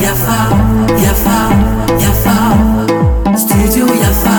Yafa, Yafa, Yafa, Studio Yafa.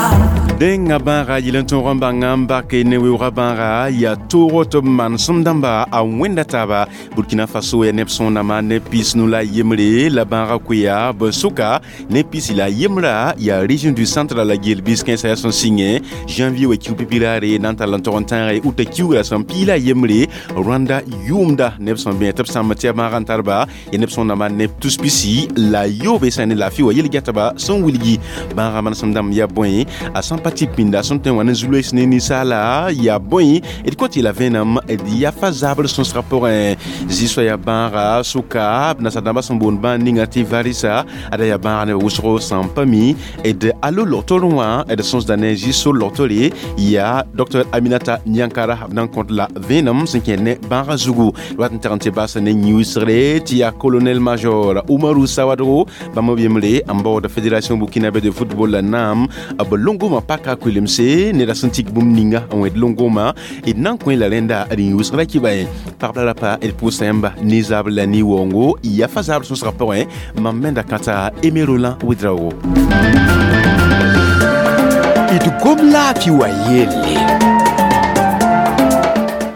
Dẽngã bãaga yel n tõog n bãnga n bake ne weoogã bãaga yaa toog tɩ b manesem dãmba a wẽnda taaba. Burkina Faso yaa neb sõornãmã ne 50 la yembre la bãaga koeya b sʋka ne pisi la yembrã yaa région du centre la gel biskẽnsã yaa sẽn sɩngẽ janvier wa kiug pipi-raare na n tall n tog n tãage uta kiugra sẽn pii la yembre Rwanda yʋʋmda neb sẽn bẽ tɩ b sãmb tɩ yaa bãaga n tarba yaa neb sõornãmã neb tus pisi la yoobe sã ne laafɩ wa yel-gɛtba sẽn wilgi bãaga manesem dãmb yaa bõe a sãn pa tɩ pĩnda sẽn tõe n wa ne zu-loees ne ninsaala yaa bõe d kõ tɩ la vẽenem d yafa zabr sõsgã pʋgẽ zĩ-soa yaa bãaga sʋka b nasa-dãmbã sẽn boond bãan ninga tɩ varisa ada yaa bãaga neb wʋsgo sẽn pa mi d alo logtor wã d sõsda ne zĩ-sor logtore yaa Dr Aminata Niankara b na n kõt la vẽenem sẽn kẽer ne bãaga zugu wat n teg n tɩ bas ne yĩusgre tɩ yaa colonel major Umaru Sawadogo bãmb b yembre n baood Fédération burkinabé de football la naam b longomã paka kuilemse neda sẽn tik bũmb ninga n wẽd longomã d na n kõ la rẽnda d yĩusgra kɩba ye pagb la rapa d pʋʋsa yãmba ne zabr la ne-waoongo yafa zabr sõsgã pʋgẽ mam menda kãta Aimé Roland Ouedraogo. D gom laafɩ wa yelle.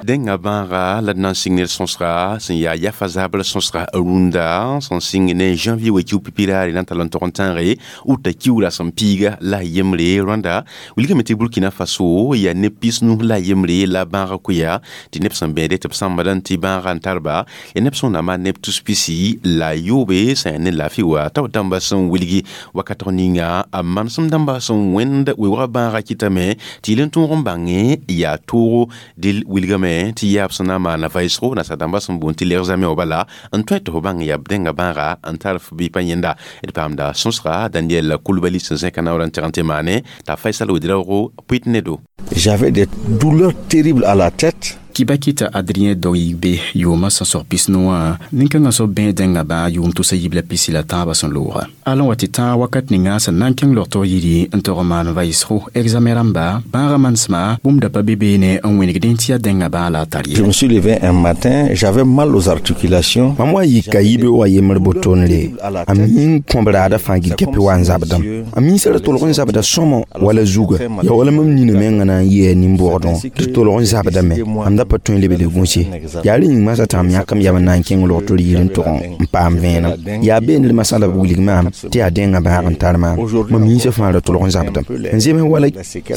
Dẽngã bãaga la d na n sɩng ned sõsga sẽn yaa yafa zabr sõsga rũndã sẽn sɩng ne janvier wa kiu pipi-raare na n tall n tog n tãage uta kiugra sẽn piiga la yembre Rwanda wilgame tɩ Burkina Faso yaa neb 50 la yembre la bãaga koeya tɩ neb sẽn bẽede tɩ b sãmbdã tɩ bãaga n tarba yaa neb sõornãmã neb tus pisi la yoobe sã yaa ne laafɩ wa tao dãmba sẽn wilgi wakatg ninga a manesem dãmba sẽn wẽnd weoogã bãaga kɩtame tɩ yel n tõog n bãngẽ yaa toogo dɩl wilgame tɩ yaa b sẽn na n maana vaɩsgo nasa-dãmbã sẽn boond tɩ l'examen wa bala n tõe tɩ f bãng yaa b dẽnga bãaga n tar f bɩ pa yẽnda d paamda sõsga Daniel Coulibaly sẽn zẽka naoor n teg n tɩ maane t'a Faisal Ouedraogo pʋɩt ne-do. J'avais des douleurs terribles à la tête. Kibakita Adrien Doigbe yʋʋmã sẽn 90 wã nin-kãngã soab bẽe dẽngã bãa yʋʋm tʋsa yib la pisi la tãabã sẽn looga alã wa tɩ tãag wakat ninga sẽn na n kẽng logtg yiri n tog n maan vaɩsgo examen rãmba bãagã manesmã bũmb da pa be beene n wẽnegdẽ tɩ yaa dẽngã bãa la a tar Je me suis levé un matin, j'avais mal aux articulations. Mam wa yika yibe wa yembre botonre a mi n kõb raada fãa gil-kɛpɩ wa n zabdame a minsã ra tolg n zabda sõmo wala zuga ya wala mam nina mengã na n yɩa nin-bʋgdẽ tɩ tolg n zabdame mam da pa tõe n lebl gũse yaa rẽ yĩng masã tɩ mam yãkam yam n na n kẽng logtr yir n tʋg n paam vẽenem yaa beene masã la b wilg maam tɩ yaa dẽngã bãag n tar maam mam minsã fãa ra tolg n zabdame n zems wala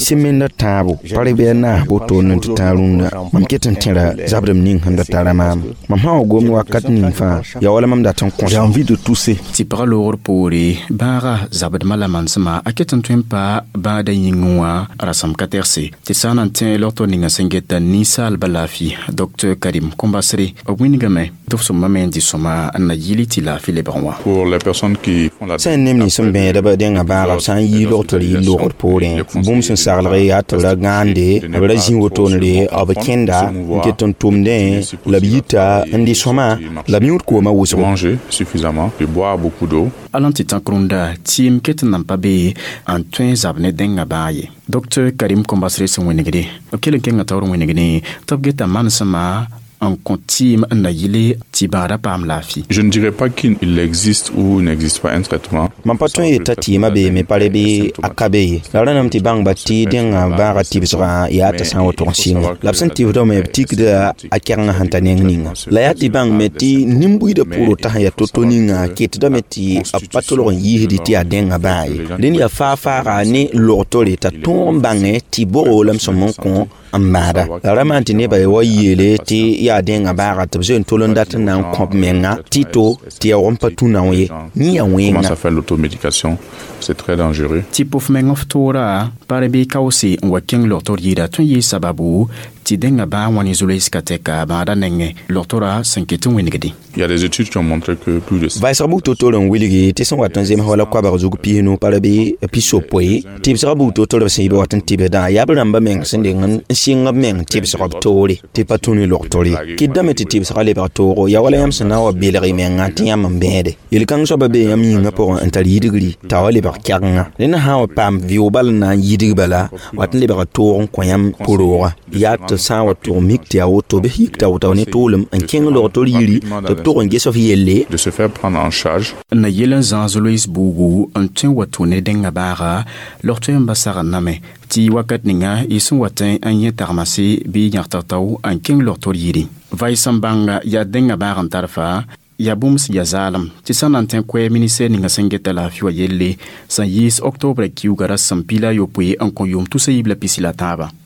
sɩmenda tãabo pa bɩ a naas botoone tɩ tãag rũndã mam ket n tẽra zabdem ning sẽn da tara maam mam sã wa gomd wakat ning fãa yaa wala mam dat n J'ai kõs. Envie de tousser. Tɩ pagã loogr poore bãaga zabdmã la manesmã a ket n tõe n pa bãada yĩngẽ wã rasem ka tɛgse tɩ sã n na n tẽ logtr ninga sẽn geta ninsaalbã laafɩ Dr Karim Kombasre b wĩnigame tɩ f sõma me n dɩ sõma n na yɩl tɩ laafɩ lebg wã. Pour les personnes qui font la Sẽn neb nins sẽn bẽedb dẽngã bãaga b sã n yii logtr yir logd poorẽ bũmb sẽn saglg yaa tɩ b ra gãande b ra zĩ wotone b kẽnda n ket n tʋmdẽ la b yita n dɩ sõma la b yũud koomã wʋsgo. Manger suffisamment, de boire beaucoup d'eau. Alã tɩ tãk rũndã tɩɩm ket n nan pa be n tõe n zab ne dẽngã bãag ye Dr Karim Kombasre sẽn wẽnegde b kell n kẽngã taoor wẽnegde tɩ b geta manesmã n kõ tɩɩm n na yɩle tɩ bãada paam laafɩ. Je ne dirais pas qu'il existe ou n'existe pas un traitement. Mam pa tõe n yeta tɩɩmã beeme pa re bɩ a ka be ye la rãname tɩ bãngba tɩ dẽngã bãaga tɩbsgã yaa t'a sã n woto n sɩnga la b sẽn tɩbsdame b tikda a kɛgengã sẽn ta neng ninga la yaa tɩ bãng me tɩ nin-buiidã pʋʋro t'a sẽn yaa to-to ninga ketdame tɩ b pa tolg n yiisdi tɩ yaa dẽngã bãag ye rẽnd yaa faa-faaga ne logtore t'a tõog n bãngẽ tɩ bogo la m sõm n kõ n maada la ra maan tɩ nebã wa yeele tɩ yaa dẽngã bãaga tɩ b zoe n tol n dat n na n kõb menga tɩ to tɩ yaoog n pa tũ nao ye yẽ yaa Commence wẽnga. À faire l'automédication, c'est très dangereux. Tɩ pʋf meng f toora pa bɩ kaoose n wa kẽng logtr yɩɩda tõe n yɩɩ sababu tɩ dẽngã bãag wã ne zu-loees ka tɛka bãada nengẽ logtora sẽn ket n wẽnegde. Il y a des études qui ont montré que plus de Vaɩsg bug to-to n wilgi tɩ sẽn wat n zems wala koabg zug 50 pa ra bɩ 60 tɩbsgã bug to-to b sẽn yɩ b wat n tɩbsdã yaa b rãmbã meng sẽn deng n sɩng b meng tɩbsg b toore tɩ pa tũ ne logtr ye kɩtdame tɩ tɩbsgã lebg toogo yaa wala yãmb sẽn na n wa belg y mengã tɩ yãmb n bẽede yel-kãng soabã bee yãmb yĩngã pʋgẽ n tar yidgri t'a wa lebg kɛgenga rẽnd sã n wa paam vɩʋʋg bal n na n yidg bala wat n lebg toog n kõ yãmb pʋ-roogã yaa tɩ tɩ b sã n wa tʋg mik tɩ yaa woto bɩ yik tao-tao ne toolem n kẽng log-tor yiri tɩ b tʋg n ges f yelle de se faire prendre en charge. Na yel n zãas loees buugu n tõe n wa tʋ ne dẽngã baaga log tõe n ba sagr name tɩ wakat ninga y sẽn wa tẽ n yẽ tagmase bɩ yãgtg-tao n kẽng log-tor yiri. Vaɩs sẽn bãnga yaa dẽngã baag n tar faa yaa bũmb sẽn yaa zaalem tɩ sã na n tẽ koɛɛ ministɛr ninga sẽn geta laafɩ wã yelle sẽn yiis oktobra kiuga ra sẽn 21 n kõ yʋʋm 2023.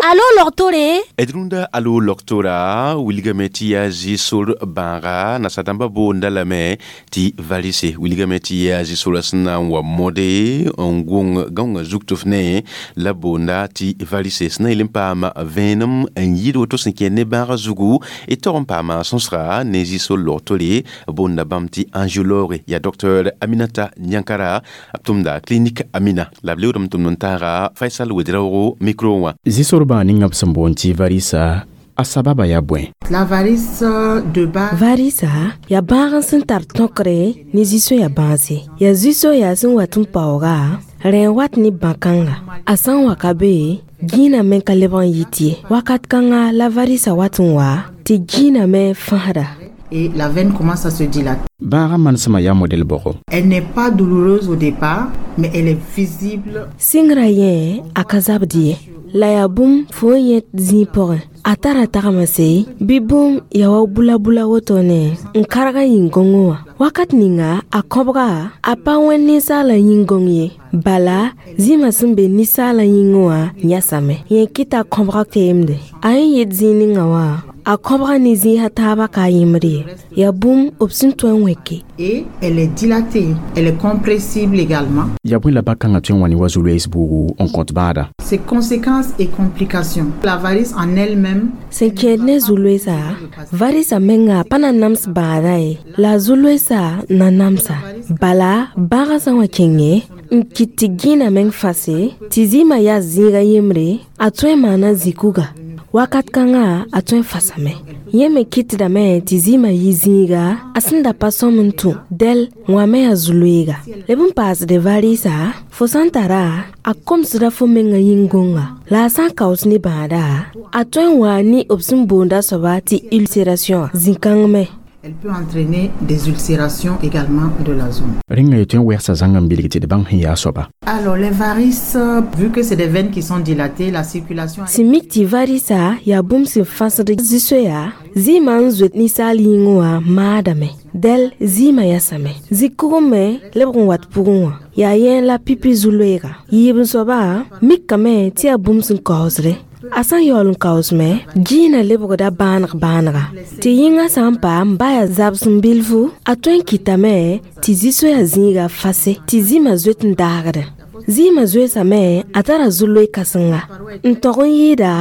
Alo logtore? D rũndã alo logtora wilgame tɩ yaa zɩ-sor bãaga nasadãmbã boonda lame tɩ varise wilgame tɩ yaa zɩ-sorã sẽn na n wa mode n gõng gãongã zug tɩ f ne la boonda tɩ varise sẽn na yel n paam vẽenem n yɩɩd woto sẽn kẽer ne bãagã zugu d tog n paama sõsga ne zɩ-sor logtore boonda bãmb tɩ angiologue yaa docteur Aminata Nyankara b tʋmda clinique Amina la b leoodame tʋmd n taaga Faisal Wedraoogo micro wã. Zɩ-sor bãag ninga b sẽn boond tɩ varisa a sababa yaa bõe? La varice de base. Varisa yaa bãag n sẽn tar tõkre ne zĩ-soya bãase. Yaa zĩ-soya sẽn wat n paooga rẽ n wat ne bã-kãnga. A sã n wa ka be, gĩinã me ka lebg n yit ye. Wakat kãnga la varisa wat n wa tɩ gĩinã me fãsda. Et la veine commence à se dilater. Bãagã manesmã yaa modɛl bʋgo. Elle n'est pas douloureuse au départ, mais elle est visible. Sɩngrã yẽ a ka zabd ye. La yaa bũmb fo n yẽ zĩig pʋgẽ. A tara tagmase bɩ bũmb yaa wa bula-bula woto ne n karg a yĩn-gõngẽ wã. Wakat ninga a kõbga a pa wẽnd ninsaalã yĩn-gõng ye. Bala zĩmã sẽn be ninsaalã yĩngẽ wã yãsame. Yẽ kɩta kõbga keemde. A yẽ yɩɩd zĩig ninga wã a kõbga ne zĩisã taabã ka a yẽmd ye. Yaa bũmb b sẽn tõe n wẽke. Et elle est dilatée, elle est compressible également. Yaa bõe la bã-kãngã tõe n wa ne wa zu-loees buugu n kõt bãada? Ses conséquences et complications. La varice en elle-même. Sẽn kẽed ne zu-loeesa, varisa menga pa na nams bãada ye. La zu-loeesa na namsa. Bala bãagã sã n wa kẽnge n kɩt tɩ gĩinã meng fase tɩ zɩɩmã yaa zĩiga yembre, a tõe n maana zĩ-kuga. Wakat kãngã a tõe n fasame. Yẽ me kɩtdame tɩ zɩɩmã yɩ zĩiga a sẽn da pa sõm n tũ dɛl wã me yaa zu-loeega. Leb n paasde varɩɩsa, fo sã n tara a komsda fo mengã yĩn-gõnga. La a sã n kaoos ne bãada, a tõe n waa ne b sẽn boonda soaba tɩ ulcération zĩ-kãng me. Elle peut entraîner des ulcérations également de la zone. Rẽnga ye tõe n wɛgsa zãng n bilg tɩ d bãng sẽn yaa soaba. Alors les varices, vu que c'est des veines qui sont dilatées, la circulation... Sẽn mik tɩ varisa yaa bũmb sẽn fãsd zĩ-soya, zɩɩmã n zoet ninsaal yĩngẽ wã maadame. Dɛl zɩɩmã yasame. Zĩ-kugẽ me lebg n wat pʋgẽ wã. Yaa yẽ la pipi zu-loeega. Yiib n soaba mikame tɩ yaa bũmb sẽn kaoosde. A sã n yaool n kaoosme, gĩinã lebgda bãaneg bãanega. Tɩ yĩngã sã n paam ba yaa zabsem bilfu, a tõe n kɩtame tɩ zĩ-soya zĩiga fase, tɩ zĩmã zoet n daagdẽ. Zĩimã zoeesame a tara zu-loe kãsenga. N tog n yɩɩda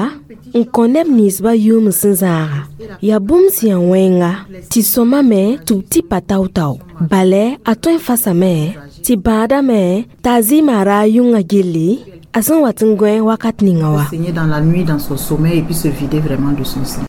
n kõ neb ninsbã yʋʋm sẽn zãaga. Yaa bũmb sẽn yaa wẽnga tɩ sõma me tɩ b tɩ pa tao-tao. Balɛ a tõe n fasame tɩ bãadame t'a zɩɩmã ra a yʋngã gilli a sẽn wat n gõe wakat ninga wã. Saigner dans la nuit dans son sommeil et puis se vider vraiment de son sang.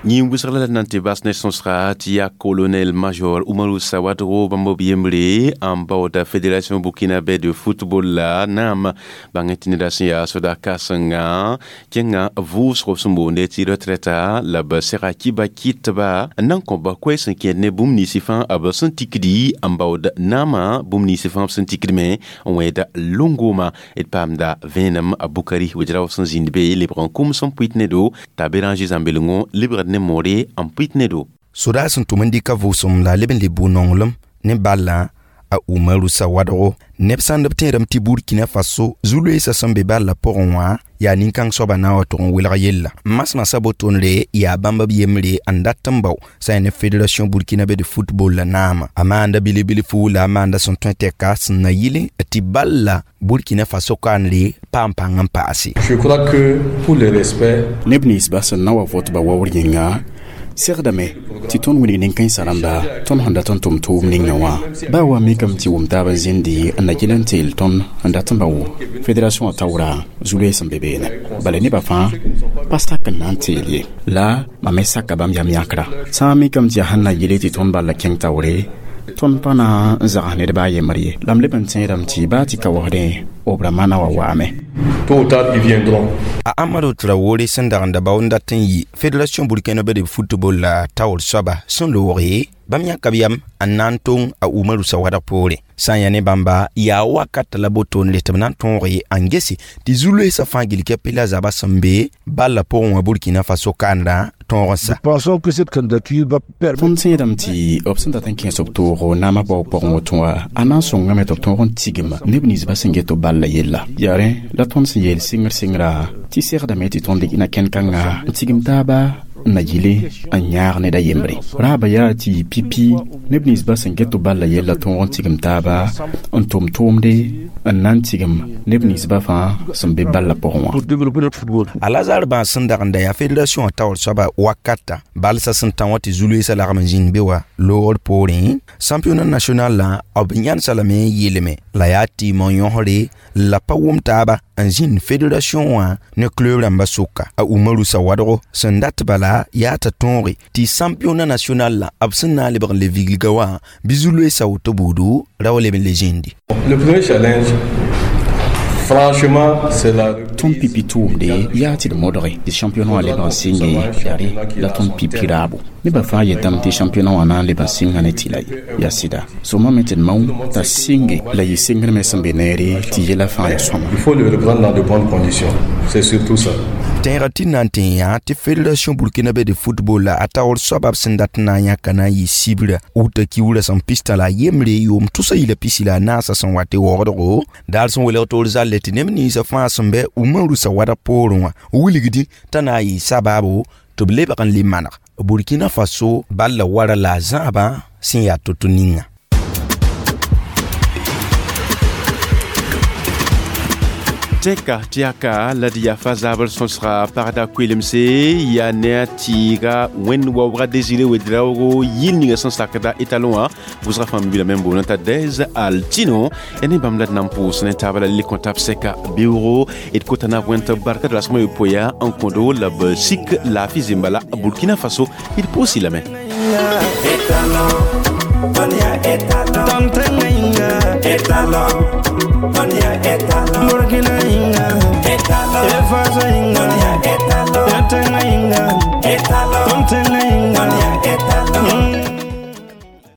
Yĩn wʋsg la na n tɩ bas ne sõsga tɩ yaa colonel major Umaru Sawadro bãmb b yembre n baooda fédération burkinabé de football la naam bãng tɩ neda sẽn yaa soda kãsenga kẽnga vʋʋsg b sẽn boonde tɩ retraita la b sega kiba kɩtba n na n kõba koɛɛ sẽn kẽed ne bũmb ninsi fãa b sẽn tikdi n baood naamã bũmb ninsi fãa b sẽn tikd me n wẽeda longoma d paamda vẽenem a Bukari wedrao sẽn zĩnd be lebg n kʋms n pʋɩt ne-do t'a Béranger Zãmbelengõ lebgd ne moore n pʋɩt ne do. Sodaa sẽn tʋm n dɩka vʋʋsem la a leb n le bʋ-nonglem ne ballã a Umaru Sawadro neb sãnd b tẽedame tɩ Burkina Faso zu-loeesã sẽn be ballã pʋgẽ wã yaa nin-kãng soabã na n wa tʋg n welg yella. Masmasa botondre yaa bãmb b yembre n dat n bao sã n ne Fédération burkinabé de football la naama. A maanda bilf-bilfu la a maanda sẽn tõe tɛka sẽn na yɩl tɩ balla Burkina Faso kaanre paam pãng n paase. Je crois que pour le respect neb ninsbã sẽn na wa votba waoor yĩnga segdame tɩ tõnd wilg nin-kãensã rãmba tõnd sẽn dat n tʋm tʋʋm ninga wã baa wa mikame tɩ wʋm taab n zĩndi n na gɩl n teel tõnd n dat n bao fédération wã taoora zu-loees n be beene bala nebã fãa Pa sak n na n teel ye la mam me saka bãmb yam yãkra sã n mikame tɩ yaa sẽn na yele tɩ tõnd bal la kẽng taoore tõnd pa na n zags ned baa yembr ye la m leb n tẽedame tɩ baa tɩ ka waoodẽ b rãmbã na wa waame. Tôt ou tard, ils viendront. A Amadou Traoré sẽn dag n da bao n dat n yɩ Fédération burkinabé de football la taoor soaba sẽn looge bãmb yãka b yam n na n tong a Umaru Sawadg poore sã n yaa ne bãmba yaa wakat la botoonre tɩ b na n tõoge n gese tɩ zu-loeesã fãa gil kɛpɩ la zabã sẽn be balla pʋgẽ wã Burkina Faso kaandã tõog n sa. Tõnd tẽedame tɩ b sẽn dat n kẽes b toogo naamã bao pʋgẽ woto wã a na n sõngame tɩ b tõog n tigm neb ninsbã sẽn get b balla yella yaa rẽ la tõnd sẽn yeel sɩngr sɩngra tɩ segdame tɩ tõnd dɩk na kẽn-kãnga n tigm taaba n na yɩle n yãag ned a yembre raaba yaa tɩ yɩ pipi neb ninsbã sẽn get b balla yella tõog n tigm taaba n tʋm tʋʋmde n na n tigm neb ninsbã fãa sẽn be balla pʋgẽ wã. A Lazare bãas sẽn dag n da yaa fédération taoor soaba wakata balsã sẽn tã wã tɩ zu-loeesã lagm n zĩnd be wa loogr poorẽ championnat national la b yãnsa lame n yeelame la yaa tɩɩm n yõsre la pa wʋm taaba n zĩnd fédération wã ne club rãmbã sʋka a Umaru Sawadgo sẽn dat bala yaa t'a tõoge tɩ championnat national la b sẽn na n lebg n le viglga wã bɩ zu-loeesã woto buudu ra wa leb n le zĩndi. Le premier challenge, franchement, c'est la Tõnd pipi tʋʋmde yaa tɩ d modge tɩ championnat wã leb n sɩnge yare la tõnd pipi raabo nebã fãa yetame tɩ championnat wã na n leb n sɩnga ne tɩ la yaa sɩda sõmame tɩ d mao t'a sɩnge la yɩ sɩngr me sẽn be neere tɩ yɛla fãa yaa sõama. Il faut le reprendre dans de bonnes conditions. C'est surtout ça. Tẽega tɩ na n tẽ yã tɩ fédération burkinabé de football la a taoor soaba b sẽn dat n na n yãka na n yɩ sibra wuta kiuurã sẽn pistã la a yembre yʋʋm tʋsa yila pisi la a naasã sẽn wa tɩ waoodgo daar sẽn welg toor zalle tɩ neb ninsã fãa sẽn bɛ Umaru Sawadg poorẽ wã wilgdẽ t'a na n yɩ sabaabo tɩ b lebg n le maneg Burkina Faso balla wara la a zãabã sẽn yaa to-to ninga. Tɛka tɩ yaa la d yafa zabr sõsga pagda koelemse yaa ne a tɩɩga wẽnd waoogã Désiré Ouédraogo yɩl ninga sẽn sakda étalon wã vʋʋsga fãa bilame n boonã t'a Dez Altino ya ne bãmb la d na n pʋʋs ne taaba la le kõta b sɛka beoogo d kota na wẽnd tɩ barka d rasmã yopoe n kõdo la b sik laafɩ zẽmba la Burkina Faso d pʋʋsi lame. Étalon, on y a étalon. Burkina inga, étalon.